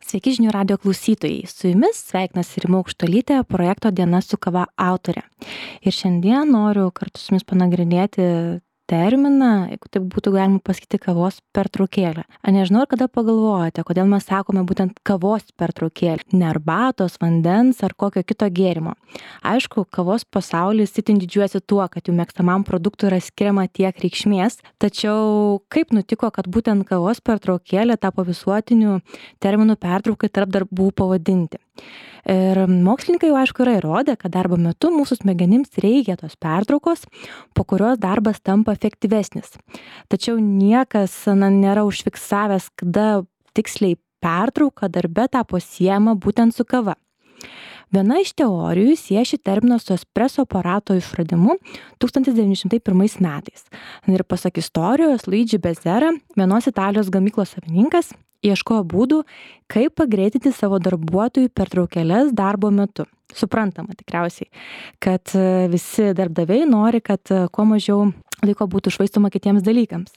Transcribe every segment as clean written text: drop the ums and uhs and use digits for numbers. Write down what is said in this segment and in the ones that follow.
Sveiki žinių radio klausytojai. Su jumis sveikinasi Rima Aukštuolytė, projekto Diena su kava autorė. Ir šiandien noriu kartu su jumis panagrinėti terminą, jeigu taip būtų galima pasakyti, kavos pertraukėlę. Nežinau, ar kada pagalvojate, kodėl mes sakome būtent kavos pertraukėlę, ne arbatos, vandens ar kokio kito gėrimo. Aišku, kavos pasaulis itin didžiuojasi tuo, kad jų mėgstamam produktui yra skiriama tiek reikšmės, tačiau kaip nutiko, kad būtent kavos pertraukėlė tapo visuotiniu terminų pertraukai tarp darbų pavadinti. Ir mokslininkai jau aišku yra įrodę, kad darbo metu mūsų smegenims reikia tos pertraukos, po kurios darbas tampa efektyvesnis. Tačiau niekas nėra užfiksavęs, kada tiksliai pertrauka darbe tapo siejama būtent su kava. Viena iš teorijų sieja šį terminą su espreso aparato išradimu 1901 metais. Ir pasak istorijos, Luigi Bezzera, vienos Italijos gamyklos savininkas, ieškojo būdų, kaip pagreitinti savo darbuotojų pertraukėles darbo metu. Suprantama tikriausiai, kad visi darbdaviai nori, kad kuo mažiau laiko būtų švaistoma kitiems dalykams.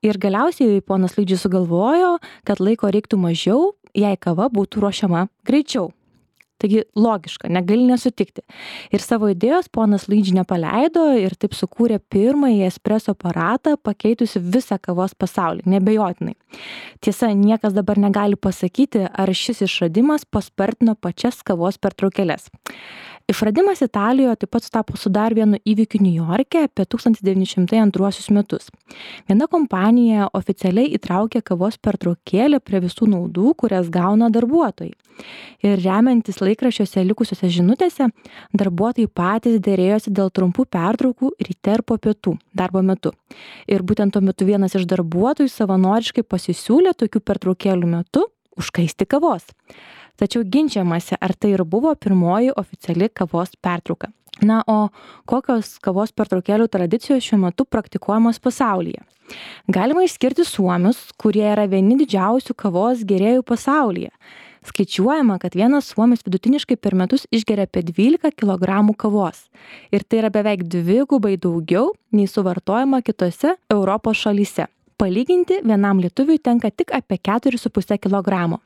Ir galiausiai ponas Luigi sugalvojo, kad laiko reiktų mažiau, jei kava būtų ruošiama greičiau. Taigi logiška, negali nesutikti. Ir savo idėjos ponas Luigi nepaleido ir taip sukūrė pirmąjį espreso aparatą, pakeitusi visą kavos pasaulį, neabejotinai. Tiesa, niekas dabar negali pasakyti, ar šis išradimas paspartino pačias kavos pertraukėles. Išradimas Italijoje taip pat sutapo su dar vienu įvykiu Niujorke apie 1902 metus. Viena kompanija oficialiai įtraukė kavos pertraukėlę prie visų naudų, kurias gauna darbuotojai. Ir remiantis laikraščiuose likusiuose žinutėse, darbuotojai patys derėjosi dėl trumpų pertraukų ryte ir po pietų darbo metu. Ir būtent tuo metu vienas iš darbuotojų savanoriškai pasisiūlė tokių pertraukėlių metu užkaisti kavos. Tačiau ginčiamasi, ar tai ir buvo pirmoji oficiali kavos pertrauka. Na, o kokios kavos pertraukėlių tradicijos šiuo metu praktikuojamos pasaulyje? Galima išskirti suomius, kurie yra vieni didžiausių kavos gėrėjų pasaulyje. Skaičiuojama, kad vienas suomis vidutiniškai per metus išgeria apie 12 kg kavos. Ir tai yra beveik dvigubai daugiau nei suvartojama kitose Europos šalyse. Palyginti, vienam lietuviui tenka tik apie 4,5 kg.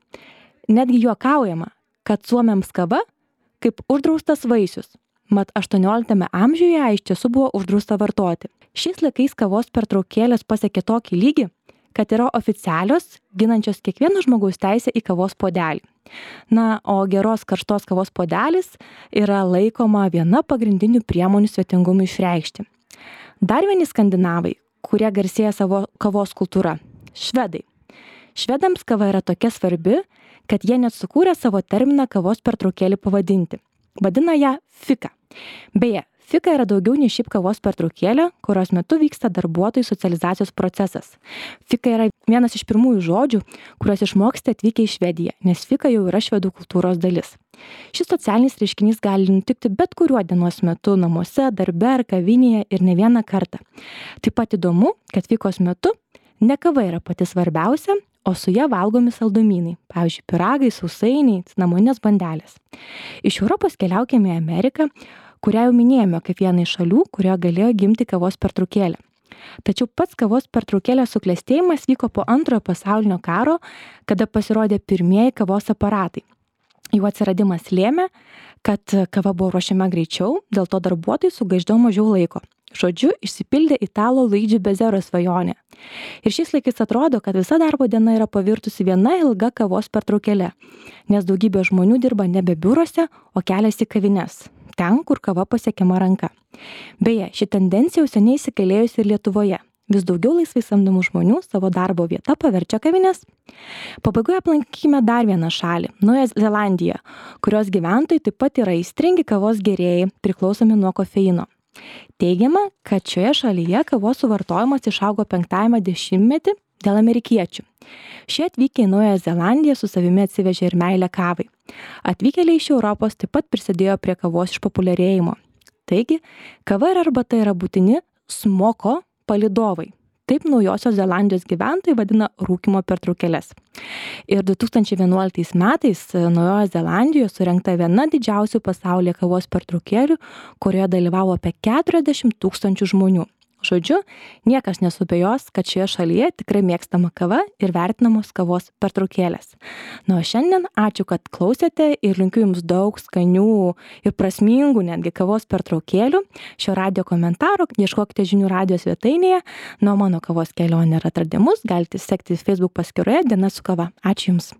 Netgi juokaujama, kad suomiams kava kaip uždraustas vaisius. Mat 18 amžiuje iš tiesų buvo uždrausta vartoti. Šiais laikais kavos pertraukėlės pasiekė tokį lygį, kad yra oficialios, ginančios kiekvieno žmogaus teisę į kavos puodelį. Na, o geros karštos kavos puodelis yra laikoma viena pagrindinių priemonių svetingumui išreikšti. Dar vieni skandinavai, kurie garsėja savo kavos kultūra – švedai. Švedams kava yra tokia svarbi, kad jie net sukūrė savo terminą kavos pertraukėlį pavadinti. Vadina ją fika. Beje, fika yra daugiau nei šiaip kavos pertraukėlė, kurios metu vyksta darbuotojų socializacijos procesas. Fika yra vienas iš pirmųjų žodžių, kuriuos išmoksite atvykę į Švediją, nes fika jau yra švedų kultūros dalis. Šis socialinis reiškinys gali nutikti bet kuriuo dienos metu, namuose, darbe ar kavinėje ir ne vieną kartą. Taip pat įdomu, kad fikos metu ne kava yra pati svarbiausia, o su ja valgomi saldumynai, pavyzdžiui, pyragai, sausainiai, cinamoninės bandelės. Iš Europos keliaukime į Ameriką, kurią jau minėjome kaip vieną iš šalių, kurioje galėjo gimti kavos pertraukėlė. Tačiau pats kavos pertraukėlės suklestėjimas vyko po Antrojo pasaulinio karo, kada pasirodė pirmieji kavos aparatai. Jų atsiradimas lėmė, kad kava buvo ruošiama greičiau, dėl to darbuotojai sugaišdavo mažiau laiko. Žodžiu, išsipildė italo Luigi Bezzero svajonė. Ir šiais laikais atrodo, kad visa darbo diena yra pavirtusi viena ilga kavos pertraukėlė, nes daugybė žmonių dirba nebe biuruose, o keliasi į kavines, ten, kur kava pasiekiama ranka. Beje, ši tendencija jau seniai įsigalėjusi ir Lietuvoje. Vis daugiau laisvai samdomų žmonių savo darbo vietą paverčia kavines. Pabaigoje aplankykime dar vieną šalį – Naująją Zelandiją, kurios gyventojai taip pat yra aistringi kavos gėrėjai, priklausomi nuo kofeino. Teigiama, kad šioje šalyje kavos suvartojimas išaugo 5-ame dešimtmetį dėl amerikiečių. Šie atvykę į Naująją Zelandiją su savimi atsivežė ir meilę kavai. Atvykėliai iš Europos taip pat prisidėjo prie kavos išpopuliarėjimo. Taigi, kava ir arbata yra būtini smoko palydovai. Taip Naujosios Zelandijos gyventojai vadina rūkymo pertraukėles. Ir 2011 metais Naujojoje Zelandijoje surengta viena didžiausių pasaulyje kavos pertraukėlių, kurioje dalyvavo apie 40 000 žmonių. Žodžiu, niekas nesubejos, kad šioje šalyje tikrai mėgstama kava ir vertinamos kavos pertraukėlės. Na, o šiandien ačiū, kad klausėte ir linkiu Jums daug skanių ir prasmingų netgi kavos pertraukėlių. Šio radio komentaro ieškokite žinių radijo svetainėje. Na, o mano kavos kelionę ir atradimus galite sekti Facebook paskyroje Diena su kava. Ačiū Jums.